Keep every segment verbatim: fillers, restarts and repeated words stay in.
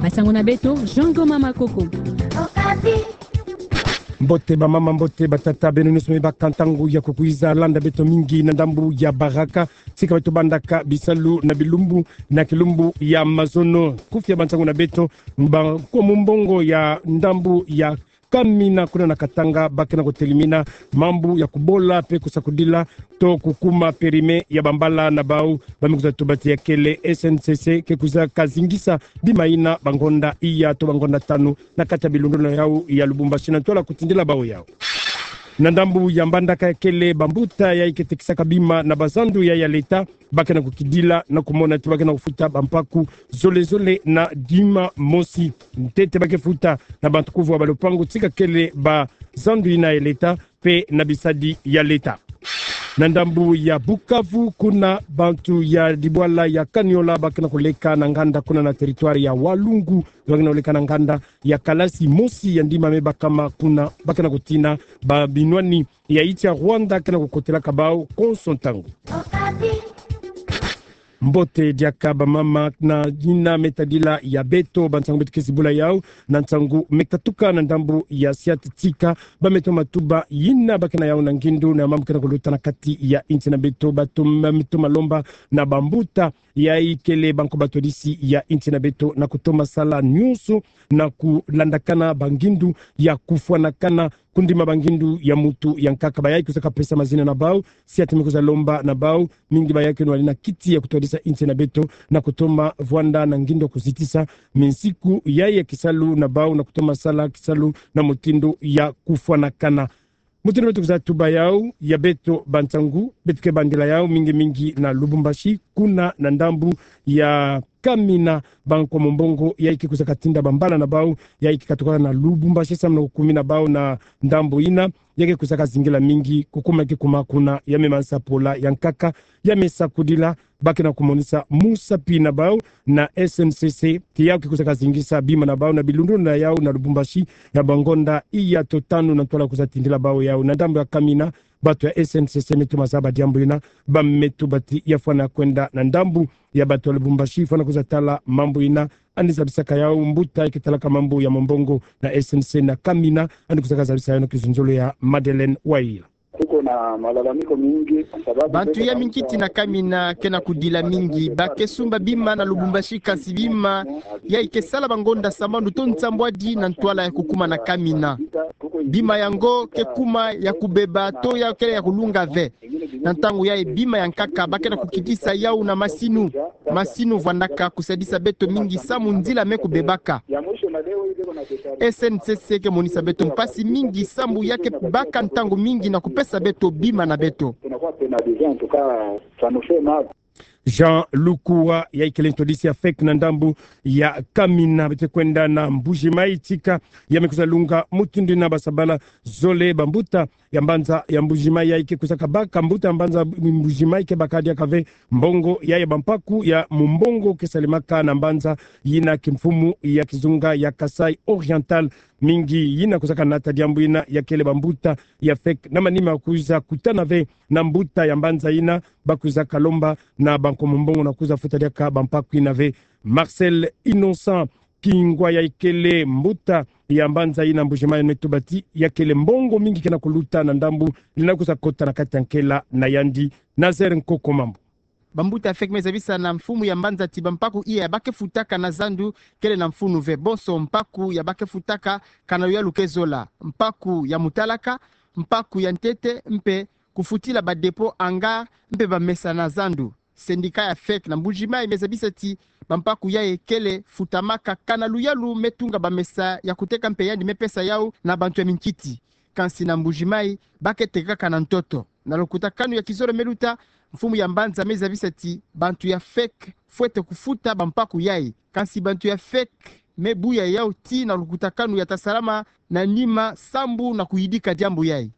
Basango na beto, Jean Thomas Makoko. Mbote bamama, mbote batata, beno nyonso me baka ntangu ya kukwiza landa beto mingi na ndambu ya Baraka. Tika beto bandaka bisalu na bilumbu, na kilumbu ya mazono. Kufia bansango na beto, ba kwa mumbongo ya ndambu ya Kamina kuna na Katanga, ba ke na kutelimina mambu ya kubola pe kusakudila to kukuma périmé ya bambala na bau. Ba me kwiza tuba ti ya kele S N C C ke kwiza kazingisa bima ina bangonda iya to bangonda tanu na kati ya bilundulu na yau ya Lubumbashi na ntwala kutindila bau yau. Na ndambu ya mbandaka ya kele bambuta yayi ke tekisaka bima na bazandu ya, ya leta, ba ke na kukidila na kumona ti ba ke na kufuta bampaku zole zole na dima mosi. Ntete ba ke futa na bantu kuvwa ba lupangu tika kele bazandu ina ya leta pe na bisadi ya leta. Na ndambu ya Bukavu, kuna bantu ya dibwala ya Kaniola ba ke na kuleka na nganda kuna na territoire ya Walungu, ba ke na kuleka na nganda ya kalasi mosi ya ndima me bakama kuna, ba ke na kutina ba binwani ya nsi ya Rwanda ke na kukotelaka bau konso ntangu. Mbote diaka bamama na yina me tadila ya beto, bansangu beto ke zibula yau na nsangu me katuka na ndambu ya Siat Tsika, ba me toma tuba yina ba ke na yau na ngindu na mambu ke na kuluta na kati ya nsi na beto. Ba toma, me toma lomba na bambuta yayi kele banko batwadisi ya nsi na beto na kutoma sala nyonso na kulandakana bangindu ya kufwanakana, kundima bangindu ya mutu ya nkaka. Bayayi kwiza kapesa mazina na bau, Siat me kwiza lomba na bau, mingi bayayi ke nwani na kiti ya kutwadisa nsi na beto na kutoma vwanda na ngindu ya kuzitisa minsiku yayi ya kisalu na bau na kutoma sala kisalu na mutindu ya kufwanakana. Mutindu beto kwiza tuba yau ya beto bansangu, beto ke bandila yau mingi mingi na Lubumbashi, kuna na ndambu ya Kamina, banko mumbongo yayi ke kwiza katinda bambala na bau yayi ke katuka na Lubumbashi samu na kukumina bau na ndambu ina, ya ke kwiza kazingila mingi kukuma ke kuma kuna, ya me mansa pola ya nkaka, ya me sakudila, ba ke na kumonisa musapi na bau na S N C C ti yau ke kwiza kazingisa bima na bau na bilundulu na yau na Lubumbashi ya bangonda iya to tanu na ntwala kwiza tindila bau yau. Na ndambu ya Kamina, bantu ya S N C C me toma zaba diambu ina, ba me tuba ti ya fwana kwenda na ndambu ya bantu ya Lubumbashi fwana kwiza tala mambu ina, yandi zabisaka yau mbuta yayi ke talaka mambu ya mumbongo na S N C C na Kamina, yandi kwiza kazabisa yau na kizunzolo ya Madeleine Wayila. Kuko na malalamiko mingi, sababu bantu ya minkiti na Kamina ke na kudila mingi. Ba ke sumba bima na Lubumbashi, kansi bima yayi ke sala bangonda sambanu to nsambwadi na ntwala ya kukuma na Kamina. Bima yango ke kuma ya kubeba to ya kele ya kulunga ve. Na ntangu yayi bima ya nkaka ba ke na kukidisa yau na masinu. Masinu vwandaka kusadisa beto mingi samu nzila me kubebaka. S N C C ke monisa beto mpasi mingi sambu ya ke baka ntangu mingi na kupesa beto bima na beto. Jean Lukua, yayi kele ntwadisi ya fek na ndambu ya Kamina. Beto kwenda na Mbuji-Mayi tika, ya me kwiza lunga mutindu ina basabala zole bambuta ya mbanza ya Mbuji-Mayi yayi ke kwiza kabaka, mbuta ya mbanza Mbuji-Mayi ke baka diaka ve mbongo yayi ya bampaku ya mumbongo ke salemaka na mbanza yina kimfumu ya kizunga ya Kasaï Oriental. Mingi yina kwiza kanata diambu ina ya kele bambuta ya fek na manima kwiza kutana ve na mbuta ya mbanza yina, ba kwiza kalomba na banko mumbongo na kwiza futa diaka bampaku yina ve. Marcel Innocent Kingwa, yayi kele mbuta ya mbanza yina Mbuji-Mayi, me tuba ti ya kele mbongo mingi ke na kuluta na ndambu lina kwiza kota na kati ya nkela na yandi. Nazaire Nkoko Mambu. Bambuta fek me zabisa na mfumu ya mbanza ti bampaku iya ba ke futaka na zandu kele na mfunu ve. Bonso mpaku ya ba ke futaka kana luyalu ke zola: mpaku ya mutalaka, mpaku ya ntete, mpe kufutila ba dépôt, hangar, mpe bamesa na zandu. Syndicat ya fek na Mbuji-Mayi me zabisa ti bampaku yayi kele futamaka kana luyalu me tunga bamesa ya kuteka mpe yandi me pesa yau na bantu ya minkiti. Kansi na Mbuji-Mayi ba ke tekaka na ntoto. Na lukutakanu ya kizolo me luta, mfumu ya mbanza me zabisa ti bantu ya fek fwete kufuta bampaku yayi. Kansi bantu ya fek me buya yau tii na lukutakanu ya ta salama na nima sambu na kuyidika diambu yayi.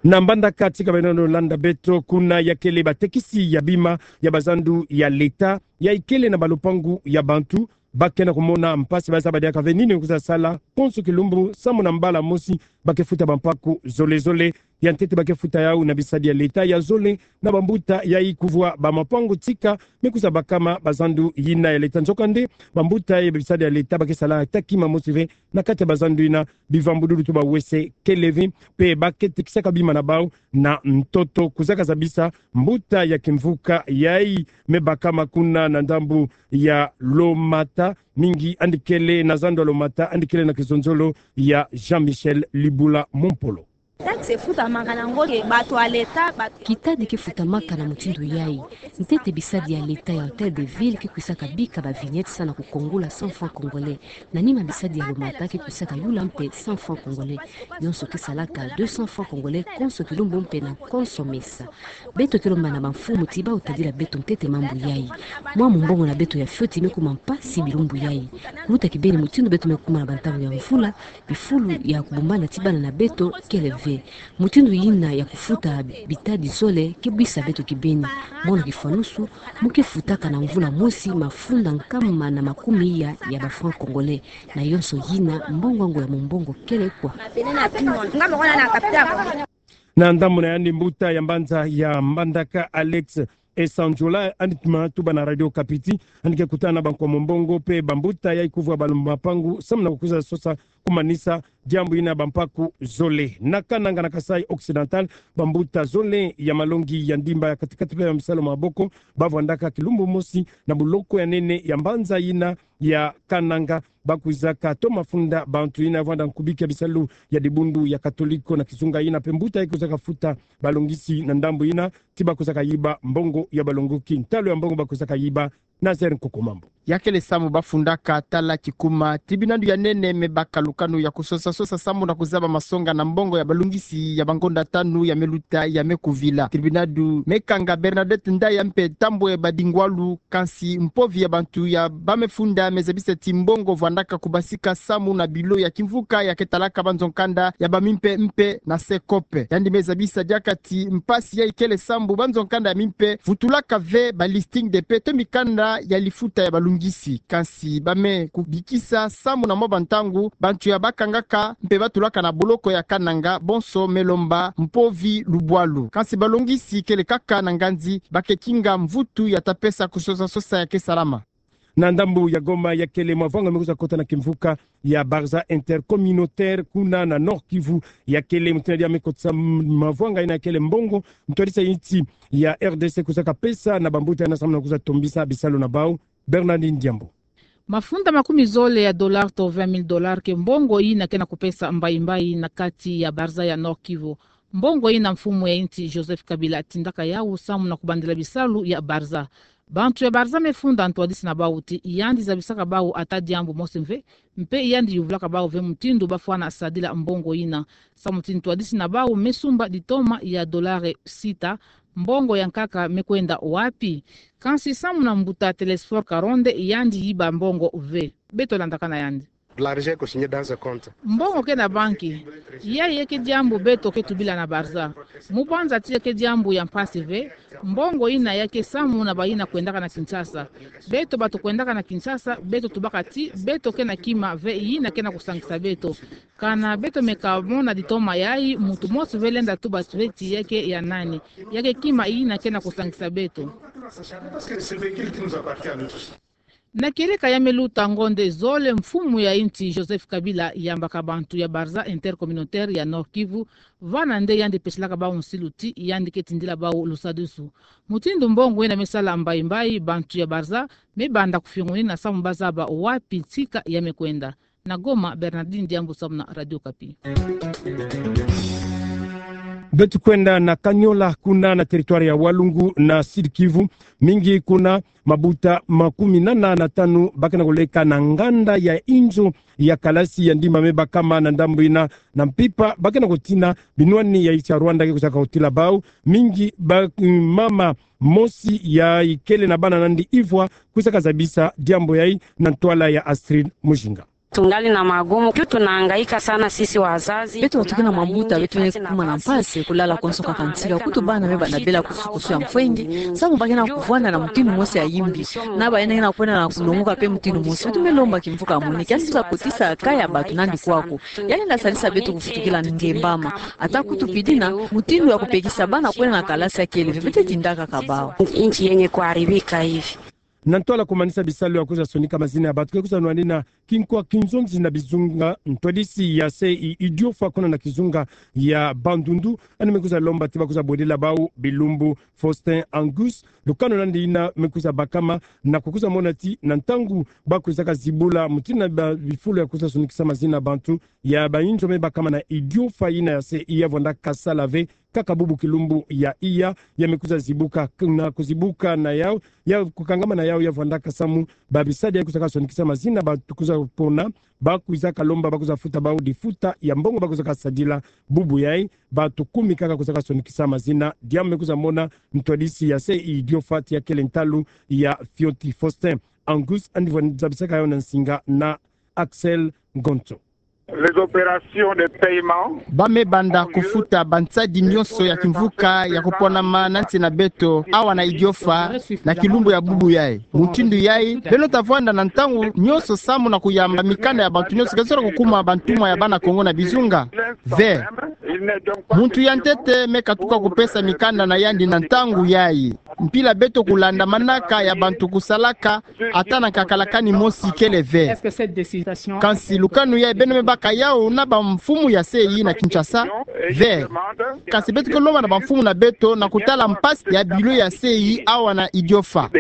Na mbandaka tika beno landa beto, kuna ya kele batekisi ya bima ya bazandu ya leta, yayi kele na balupangu ya bantu, ba ke na kumona mpasi, ba zaba diaka ve nini kwiza sala. Konso kilumbu, samu na mbala mosi, ba ke futa bampaku zole zole ya ntete ba ke futa yau na bisadi ya leta, ya zole na bambuta yayi kuvwa ba mapangu tika me kwiza bakama ba zandu yina ya leta. Nzokande, bambuta ya bisadi ya leta ba ke sala ata kima mosi ve na kati ya ba zandu yina, bivambudulu to bawese kele ve, mpe ba ke tekisaka bima na bau na ntoto. Kwizaka zabisa mbuta ya kimvuka yayi me bakama kuna na ndambu ya Lomata, mingi yandi kele na zandu ya Lomata, yandi kele na kizonzolo ya Jean-Michel Libula Mompolo. Taxe efutamaka na ngo ke bato ya leta, bato... Kitadi ke futamaka na mutindu yayi. Ntete bisadi ya leta ya Hôtel de Ville ke kwisaka bika ba vignettes sana kukongola cent francs congolais. Na nima bisadi ya Lomata ke kwisaka yula mpe cent francs congolais. Yonso ke salaka deux cents francs congolais konso kilumbu mpe na konso mesa. Beto ke lomba na bamfumu ti bau tadila beto ntete mambu yayi. Mwa mumbongo na beto ya fioti me kuma mpasi bilumbu yayi. Kuta kibeni mutindu beto me kuma na bantangu ya mvula, bifulu ya kubumbana ti bana na beto kele ve. Mutindu yina ya kufuta bitadi zole ke bwisa beto kibeni. Mono kifwanusu, mu ke futaka na mvula mosi mafunda nkama na makumi iya ya ba francs congolais. Na yonso yina, mbongo yango ya mumbongo kele kwa. Na ndambu na yandi, mbuta ya mbanza ya Mbandaka, Alex Esandjola, yandi ma tuba na Radio Okapi ti yandi ke kutana na bankwa mumbongo mpe bambuta yayi kuvwa ba mapangu samu na kukwiza sosa kumanisa diambu yina ya bampaku zole. Na Kananga na Kasaï Occidental, bambuta zole ya malongi ya ndimba ya kati-kati mpe ya bisalu maboko ba vwandaka kilumbu mosi na boloko ya nene ya mbanza yina ya Kananga. Ba kwizaka toma funda bantu yina vwanda nkubiki ya bisalu ya dibundu ya Katoliko na kizunga yina, mpe mbuta yayi kwizaka futa balongisi na ndambu yina ti ba kwizaka yiba mbongo ya balongoki. Ntalu ya mbongo ba kwizaka yiba, Nazaire Nkokomambo. Ya kele samu ba fundaka tala kikuma tribunadu ya nene me baka lukanu ya kusosa-sosa samu na kuzaba masonga na mbongo ya balongisi ya bangonda tanu ya me luta ya me kuvila. Tribunadu me kanga Bernadette Ndaya mpe Tambwe Badingwalu, kansi mpovi ya bantu ya ba me funda me zabisa ti mbongo vwandaka kubasika samu na bilo ya kimvuka ya ke talaka banzo nkanda ya ba mimpe mpe na Secope. Yandi me zabisa diaka ti mpasi yayi kele sambu banzo nkanda ya mimpe vutulaka ve ba listing de paie to mikanda ya lifuta ya balongisi. Kansi ba me kubikisa samu na mwa bantangu bantu ya ba kangaka mpe ba tulaka na boloko ya Kananga bonso me lomba mpovi lubwalu. Kansi balongisi kele kaka na nganzi ba ke kinga mvutu ya ta pesa kusosa-sosa ya ke salama. Na ndambu ya Goma, ya kele mavwanga me kwiza kota na kimvuka ya Barza Intercommunautaire kuna na Nord-Kivu. Ya kele mutindu ya me kotisa m-, mavwanga yina, ya kele mbongo ntwadisi ya insi ya R D C kwizaka pesa na bambuta yina samu na kwiza tombisa bisalu na bau. Bernardine Diambu. Mafunda makumi zole ya dollars to vingt mille dollars ke mbongo yina ke na kupesa mbayi-mbayi na kati ya Barza ya Nord-Kivu. Mbongo yina mfumu ya insi Joseph Kabila atindaka yau samu na kubandila bisalu ya Barza. Bantu ya Barza me funda ntwadisi na bau ti yandi zabisaka bau ata diambu mosi mve, mpe yandi yuvulaka bau ve mutindu ba fwana sadila mbongo yina. Samu ti ntwadisi na bau me sumba ditoma ya dollars sita, mbongo ya nkaka me kwenda wapi? Kansi samu na mbuta Telesphore Karonde, yandi yiba mbongo ve. Beto landakana yandi. L'argent est consigné dans un compte. Mbongo ke na banki. Yayi ke diambu beto ke tubila na Barza. Mu banza ti ya ke diambu ya mpasi ve, mbongo yina ya ke samu na bayina kwendaka na Kinshasa. Beto bato kwendaka na Kinshasa, beto tubaka ti beto ke na kima ve yina ke na kusangisa beto. Kana beto me kamona ditoma yayi, muntu mosi ve lenda tuba ve ti ya ke ya nani. Ya ke kima yina ke na kusangisa beto. Na kieleka ya me luta ngonde zole, mfumu ya insi Joseph Kabila yambaka bantu ya Barza Intercommunautaire ya Nord-Kivu, vana nde yandi peselaka bau nsilu ti yandi ke tindila bau lusadusu. Mutindu mbongo yina me sala mbayi-mbayi, bantu ya Barza me banda kufiongonina samu ba zaba wapi nsika ya me kwenda. Na Goma, Bernardine Diambu samu na Radio Okapi. Beto kwenda na Kanyola, kuna na territoire ya Walungu na Sud-Kivu. Mingi kuna mabuta makumi nana na tanu ba ke na koleka na nganda ya inzo ya kalasi ya ndimba me bakama na ndambu yina, na mpimpa ba ke na kotina binwani ya insi ya Rwanda ke kwizaka kotila bau. Mingi ba, mm, mama mosi ya ikele na bana na yandi ivwa kwizaka zabisa diambu yayi na ntwala ya Astrid Mujinga. Tungali na magumu, kiu tunahangaika sana sisi wazazi. Beto watu ke na mambuta, beto me kuma na mpasi, kulala konso kaka ntika, kutu bana me bana bela kusu-kusu ya mfwenge, samu ba ke na kuvwanda na mutindu mosi ya yimbi, na ba yina ke na kwenda na kulongoka pe mutindu mosi. Beto me lomba kimvuka mweneke, kiasi kwiza kotisa kaya batu nandi kwaku. Yandi lenda sadisa beto kufutukila ngembama. Ata kutu pidi na mutindu ya kupekisa bana kwenda na kalasi ya kele ve, beto tindaka kaka bau. Nchi yenye kuharibika hivi. Na ntwala kumanisa bisalu ya kwiza sonika mazina ya batu, ke kwiza nwanina kinkwa kinzonzi na bizunga, ntwadisi ya C I Idiofa kuna na kizunga ya Bandundu, yandi me kwiza lomba ti ba kwiza bodila bau Bilumbu Faustin Angus, lukanu nandi yina me kwiza bakama, na kukwiza mona ti na ntangu ba kwizaka zibula mutindu na ba bifulu ya kwiza sonikisa mazina ya bantu, ya bayinzo me bakama na Idiofa yina ya C I ya vwandaka sala ve, kaka bubu kilumbu ya iya, ya me kwiza zibuka, na kuzibuka na yau, ya kukangama na yau, ya vwandaka samu ba bisadi ya kwizaka sonikisa mazina ba kwiza pona, ba kwizaka lomba ba kwiza futa bau difuta ya mbongo ba kwizaka sadila bubu yai, batu kumi kaka kwizaka sonikisa mazina, diambu me kwiza mona ntwadisi ya C I Idiofa ti ya kele ntalu ya fioti Faustin Angus, yandi vwa zabisaka yau na nsinga na Axel Ngonso. Les opérations de paiement. Ba me banda kufuta bansadi nyonso ya kimvuka ya kuponama na nsi na beto, awa na Idiofa, na kilumbu ya bubu yai. Mutindu yai, beno ta vwanda na ntangu nyonso samu na kuyamba mikanda ya bantu nyonso ke zolo kukuma bantumwa ya bana Kongo na bizunga? Ve. Muntu ya ntete me katuka kupesa mikanda na yandi na ntangu yai. Mpila beto kulandamanaka ya bantu kusalaka, ata na nkakala kani mosi kele ve. Kansi lukanu yai beno me baka yau na bamfumu ya C I na Kinshasa? Ve. Kansi beto ke lomba na bamfumu na beto na kutala mpasi ya bilo ya C I awa na Idiofa.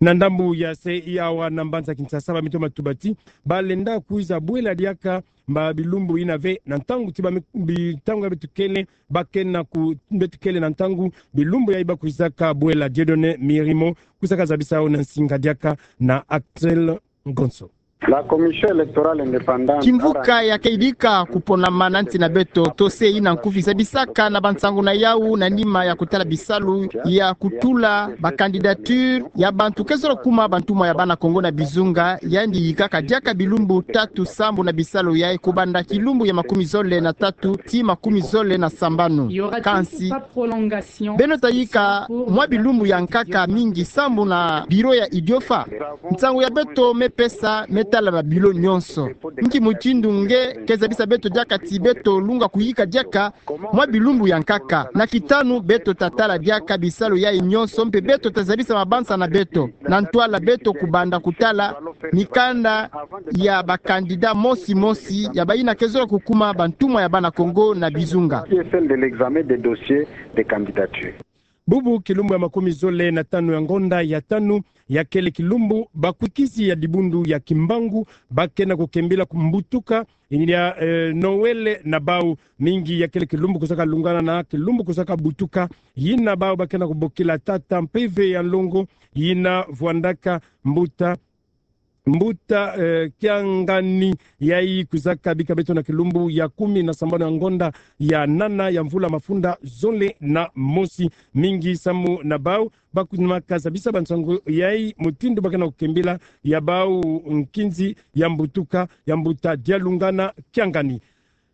Na ndambu ya C I awa na mbanza Kinshasa, ba mito matuba ti ba lenda kwiza bwela diaka ba bilumbu yina ve, na ntangu ti ba mi-, bi-, ntangu ya beto kele, ba ke na ku-, beto kele na ntangu bilumbu yai ba kwizaka bwela. Dieudonné Mirimo kwizaka zabisa yau na nsinga diaka na Axel Ngonso. La Commission électorale indépendante. Kimvuka ya ke yidika kuponama na nsi na beto, to C I na nkufi, zabisaka na bansangu na yau na nima ya kutala bisalu ya kutula ba candidature ya bantu ke zolo kuma bantumwa ya bana Kongo na bizunga, yandi yikaka diaka bilumbu tatu sambu na bisalu yai, kubanda kilumbu ya makumi zole na tatu tii makumi zole na sambanu. Kansi beno ta yika mwa bilumbu ya nkaka mingi sambu na bilo ya Idiofa? Nsangu ya beto me pesa me tala ba bilo nyonso. Nki mutindu nge ke zabisa beto diaka ti beto lunga kuyika diaka mwa bilumbu ya nkaka? Na kitanu beto ta tala diaka bisalu yai nyonso mpe beto ta zabisa mabanza na beto, na ntwala beto kubanda kutala mikanda ya ba candidat mosi mosi, ya bayina ke zolo kukuma bantumwa ya bana Kongo na bizunga. Qui est celle de l'examen des dossiers de candidature. Bubu kilumbu ya makumi zole na tanu ya ngonda ya tanu, ya kele kilumbu bakwikisi ya dibundu ya Kimbangu ba ke na kukembila kumbutuka ya, eh, Noël na bau. Mingi ya kele kilumbu kwizaka lungana na kilumbu kwizaka butuka, yina bau ba ke na kubokila tata mpeve ya nlongo, yina vwandaka mbuta, mbuta, eh, Kiangani. Yai kwizaka bika beto na kilumbu ya kumi na sambanu ya ngonda ya nana ya mvula mafunda zole na mosi. Mingi samu na bau ba kwiza maka zabisa bansangu yai, mutindu ba ke na kukembila ya bau nkinzi ya mbutuka ya mbuta Dialungana Kiangani.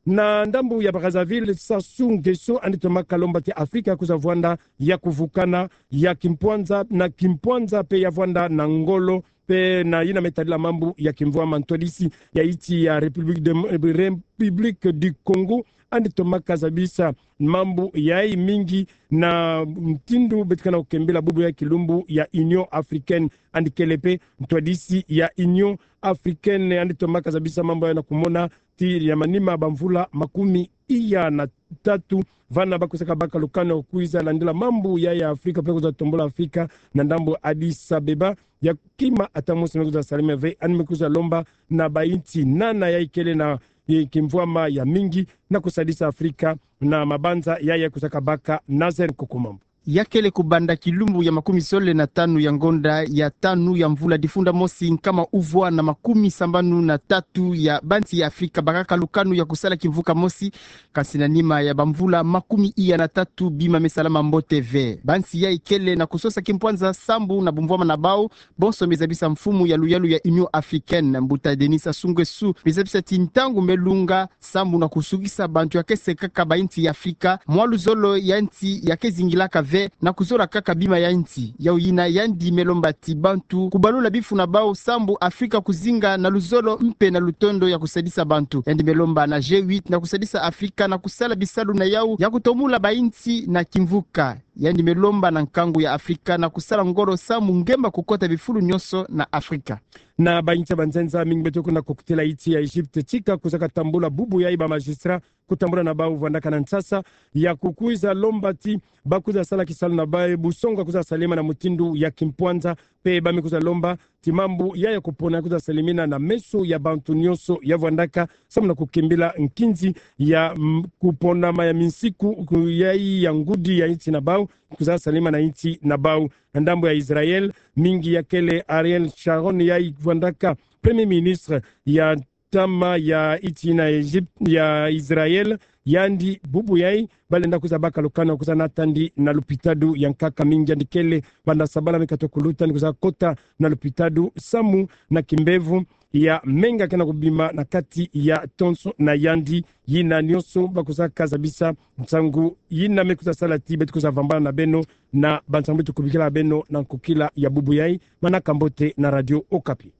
Na ndambu ya Brazzaville, Sassou Nguesso yandi tomaka lomba ti Afrika kwiza vwanda ya kuvukana ya kimpwanza na kimpwanza mpe ya vwanda na ngolo mpe na yina me tadila mambu ya kimvwama. Ntwadisi ya iti ya République de, République du Congo yandi tomaka zabisa mambu yai mingi na mutindu beto ke na kukembila bubu ya kilumbu ya Union Africaine, yandi kele mpe ntwadisi ya Union Africaine, yandi tomaka zabisa mambu yai na kumona ti ya manima ba mvula makumi iya na tatu, vana ba kwizaka baka lukanu kwiza landila mambu yai ya Afrika mpe kwiza tombula Afrika na ndambu Addis Abeba, ya kima ata mosi me kwiza salama ve, yandi me kwiza lomba na ba insi nana yai kele na, eh, kimvwama ya mingi na kusadisa Afrika na mabanza yai ya kwizaka baka. Nazaire Nkokomambu. Ya kele kubanda kilumbu ya makumi zole na tanu ya ngonda ya tanu ya mvula difunda mosi, nkama uvwa na makumi sambanu na tatu ya bansi ya Afrika bakaka lukanu ya kusala kimvuka mosi, kasi na nima ya bamvula makumi iya na tatu bima me salama mbote ve. Bansi yai kele na kusosa kimpwanza sambu na bumvwama na bau bonso me zabisa mfumu ya luyalu ya Union Africaine, mbuta Denis Sassou Nguesso, me zabisa ti ntangu me lunga sambu na kusukisa bantu ya kese kaka ba insi ya Afrika mwa luzolo ya insi ya ke zingilaka ve, na kuzola kaka bima ya insi. Yau yina yandi me lomba ti bantu kubalula bifu na bau sambu Afrika kuzinga na luzolo mpe na lutondo ya kusadisa bantu. Yandi me lomba na G huit na kusadisa Afrika na kusala bisalu na yau ya kutomula ba insi na kimvuka. Yandi me lomba na nkangu ya Afrika na kusala ngolo sambu ngemba kukota bifulu nyonso na Afrika. Na ba insi ya banzenza mingi beto kuna kukutila insi ya Egypte tika kuzaka tambula bubu yai ba magistrat kutambula na bau vwandaka na nsasa ya kukwiza lomba ti bakwiza sala kisalu na bau, busongo kwiza salema na mutindu ya kimpwanza, mpe ba me kwiza lomba ti mambu yai ya kupona kwiza salemina na meso ya bantu nyonso ya vwandaka sambu na kukimbila nkinzi ya, mm, kuponama ya minsiku ku-, yai ya ngudi ya insi na bau kwiza salema na insi na bau. Na ndambu ya Israël, mingi ya kele Ariel Sharon yai vwandaka premier ministre ya ntama ya insi na Egypte, ya Israël, yandi bubu yai balenda kwiza baka lukanu kwiza natandi na lupitalu ya nkaka. Mingi yandi kele banda sabala me kata kuluta ni kwiza kota na lupitalu sambu na kimbevo ya menga ke na kubima na kati ya tonso na yandi. Yina nyonso bakwiza kazabisa nsangu yina me kwiza sala ti beto kwiza vambana na beno na bansangu beto kubikila beno na nkokila ya bubu yai. Manaka mbote na Radio Okapi.